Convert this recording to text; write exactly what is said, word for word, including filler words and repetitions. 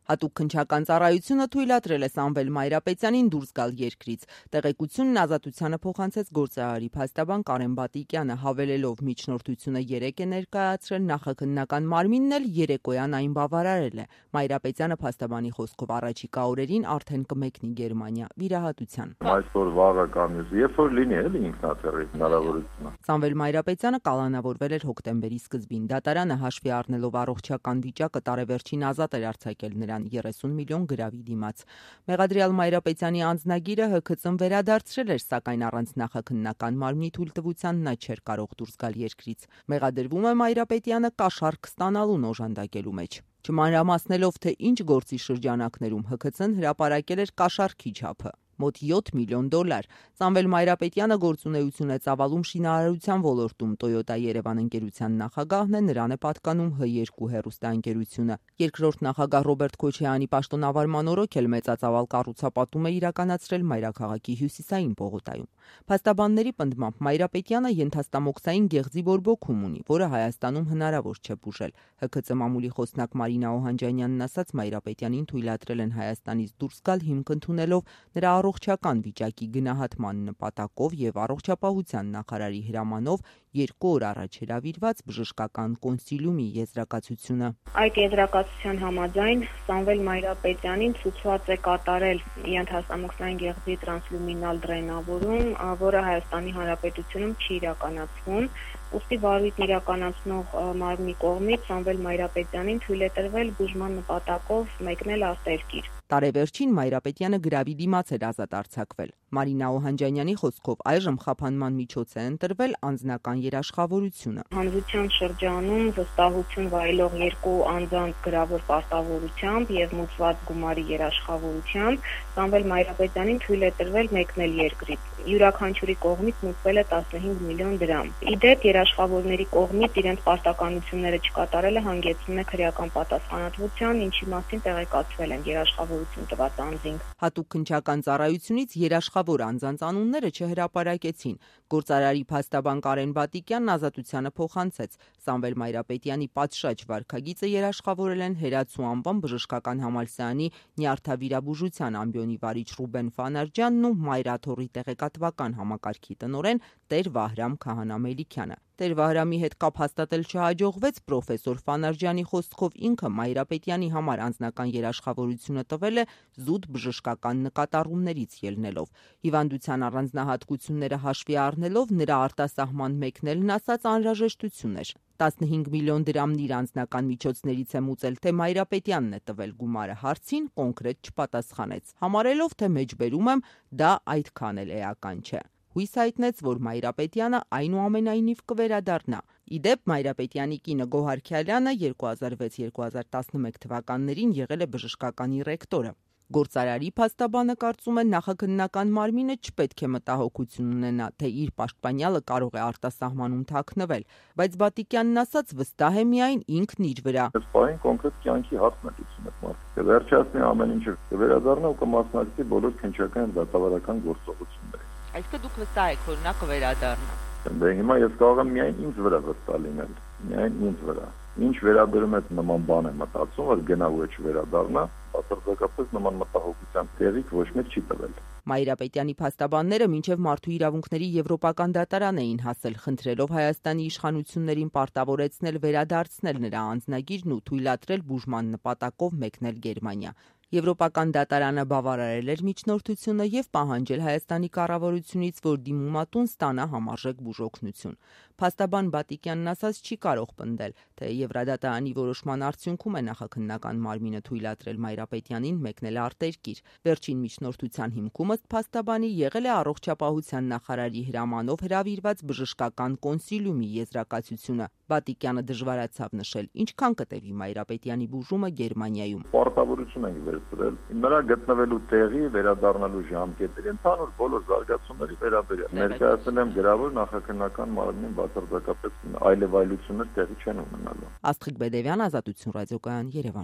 Հատուկ քննչական ծառայությունը թույլատրել է Սամվել Մայրապետյանին դուրս գալ երկրից։ Տեղեկությունն Ազատությանը փոխանցեց գործարարի փաստաբան Կարեն Բատիկյանը, հավելելով միջնորդությունը երեկ է ներկայացրել, նախաքննական մարմինն էլ երեկոյան այն բավարարել է։ Մայրապետյանը փաստաբանի խոսքով առաջիկա օրերին արդեն կմեկնի Գերմանիա վիրահատության։ Այսօր վաղը կամ երբ որ լինի էլի ինքնաթիռի հնարավորությունը։ Սամվել Մայրապետյանը կալանավորվել էր հոկտեմբերի սկզբին։ Դատարանը հաշվի առնելով առողջական վիճակը տարեվերջին ազատ էր արձակել նրան երեսուն միլիոն գրավի դիմաց։ Մեղադրյալ Մայրապետյանի անձնագիրը Հ K Ծ-ն վերադարձրել էր, սակայն առանց նախաքննական մարմնի թույլտվության նա չէր կարող դուրս գալ երկրից։ Մեղադրվում է Մայրապետյանը կաշառք ստանալուն օժանդակելու մեջ։ Չմանրամասնելով, թե ինչ գործի շրջանակներում Հ K Ծ-ն հրապարակել էր կաշառքի չափը՝ մոտ յոթ միլիոն դոլար։ Սամվել Մայրապետյանը գործունեություն է ծավալում շինարարության ոլորտում, Toyota Երևան ընկերության նախագահն է, նրան է պատկանում Հ երկու հեռուստաընկերությունը։ Երկրորդ նախագահ Ռոբերտ Քոչարյանի պաշտոնավարման օրոք էլ մեծածավալ կառուցապատում է իրականացրել մայրաքաղաքի հյուսիսային պողոտայում։ Փաստաբանների պնդմամբ Մայրապետյանը ենթաստամոքսային գեղձի բորբոքում ունի, որը Հայաստանում հնարավոր չէ բուժել։ Հ K Ծ մամուլի խոսնակ Մարինա Օհանջանյանն ասաց, Մայրապետյանին թույլատրել են Հայաստանից դուրս գալ հիմք ընդունելով նրա առողջական վիճակի գնահատման նպատակով եւ առողջապահության նախարարի հրամանով երկու օր առաջ հրավիրված բժշկական կոնսիլիումի եզրակացությունը։ Այդ եզրակացության համաձայն Սամվել Մայրապետյանին ցուցված է կատարել ենթաստամոքսային գեղձի տրանսլյումինալ դրենավորում, որը Հայաստանի Հանրապետությունում չի իրականացվում։ Ուստի վարույթն իրականացնող մարմնի կողմից Սամվել Մայրապետյանին թույլ է տրվել բուժման նպատակով մեկնել արտերկիր։ Տարեվերջին Մայրապետյանը գրավի դիմաց էր ազատ արձակվել։ Մարինա Օհանջանյանի խոսքով այժմ խափանման միջոց է ընտրվել անձնական երաշխավորությունը։ Հանրության շրջանում վստահություն վայելող երկու անձանց գրավոր պարտավորությամբ եւ մուծված գումարի երաշխավորությամբ Սամվել Մայրապետյանին թույլ է տրվել մեկնել երկրից։ Յուրաքանչյուրի կողմից մուծվել է տասնհինգ միլիոն դրամ։ Իդեպ երաշխավորների կողմից իրենց պարտականությունները չկատարելը հանգեցնում է քրեական պատասխանատվության, ինչի մասին տեղեկացվել են երաշխավորություն տված անձին։ Հատուկ քննչական ծառայությունից երաշխավոր անձանց անունները չհրապարակեցին։ Գործարարի փաստաբան Կարեն Բատիկյանն Ազատությանը փոխանցեց, Սամվել Մայրապետյանի պատշաճ վարքագիծը երաշխավորել են Հերացու անվան բժշկական համալսարանի նյարդավիրաբուժության ամբիոնի վարիչ Ռուբեն Ֆանարջյանն ու Մայրաթոռի տեղեկատվական համակարգի տնօրեն Տեր Վահրամ Քահանա-Մելիքյանը։ Տեր Վահրամի հետ կապ հաստատել չհաջողվեց, պրոֆեսոր Ֆանարջյանի խոսքով ինքը Մայրապետյանի համար անձնական երաշխավորությունը տվել է զուտ բժշկական նկատառումներից ելնելով։ Հիվանդության առանձնահատկությունները հաշվի առնելով նրա արտասահման մեկնելն ասած անհրաժեշտություն էր։ տասնհինգ միլիոն դրամն իր անձնական միջոցներից է մուծել, թե Մայրապետյանն է տվել գումարը հարցին կոնկրետ չպատասխանեց, համարելով, թե մեջբերում եմ, դա այդքան էլ էական չէ։ Հույս հայտնեց, որ Մայրապետյանը այնուամենայնիվ կվերադառնա։ Իդեպ Մայրապետյանի կինը Գոհար Քյալյանը երկու հազար վեց երկու հազար տասնմեկ թվականներին եղել է բժշկականի ռեկտորը։ Գործարարի փաստաբանը կարծում է նախաքննական մարմինը չպետք է մտահոգություն ունենա, թե իր պաշտպանյալը կարող է արտասահմանում թաքնվել, բայց Բատիկյանն ասաց վստահ է միայն ինքն իր վրա։ Այս պահին կոնկրետ կյանքի հարցն է լուծում այդ մարդը։ Կվերջացնի ամեն ինչը, կվերադառնա ու կմասնակցի բոլոր քննչական եւ դատավարական գործողություններին։ Այսինքն դուք վստահ եք, որ նա կվերադառնա։ Դե հիմա ես կարող եմ միայն ինձ վրա վստահ լինել, միայն ինձ վրա։ Ինչ վերաբերում է նման բան է մտածում, որ գնա ու չվերադառնա, բացարձակապես նման մտահոգության տեղիք ոչ մեկ չի տվել։ Մայրապետյանի փաստաբանները մինչև Մարդու իրավունքների Եվրոպական դատարան էին հասել, խնդրելով Հայաստանի իշխանություններին պարտավորեցնել վերադարձնել նրա անձնագիրն ու թույլատրել բուժման նպատակով մեկնել Գերմանիա։ Եվրոպական դատարանը բավարարել էր միջնորդությունը եւ պահանջել Հայաստանի կառավարությունից, որ դիմումատուն ստանա համարժեք բուժօգնություն։ Փաստաբան Բատիկյանն ասաց չի կարող պնդել, թե Եվրադատարանի որոշման արդյունքում է նախաքննական մարմինը թույլատրել Մայրապետյանին մեկնել արտերկիր։ Վերջին միջնորդության հիմքում ըստ փաստաբանի եղել է առողջապահության նախարարի հրամանով հրավիրված բժշկական կոնսիլիումի եզրակացությունը։ Բատիկյանը դժվարացավ նշել, ինչքան կտևի Մայրապետյանի բուժումը Գերմանիայում։ Պարտավորություն ենք վերցրել նրա գտնվելու տեղի, վերադառնալու ժամկետերի, ընդհանուր բոլոր զարգացումների վերաբերյալ։ Ներկայացնել եմ գրավոր նախաքննական մարմնին բացարձակապես այլևայլություններ տեղի չեն ունենալու։ Աստղիկ Բեդևյան, Ազատություն ռադիոկայան, Երևան։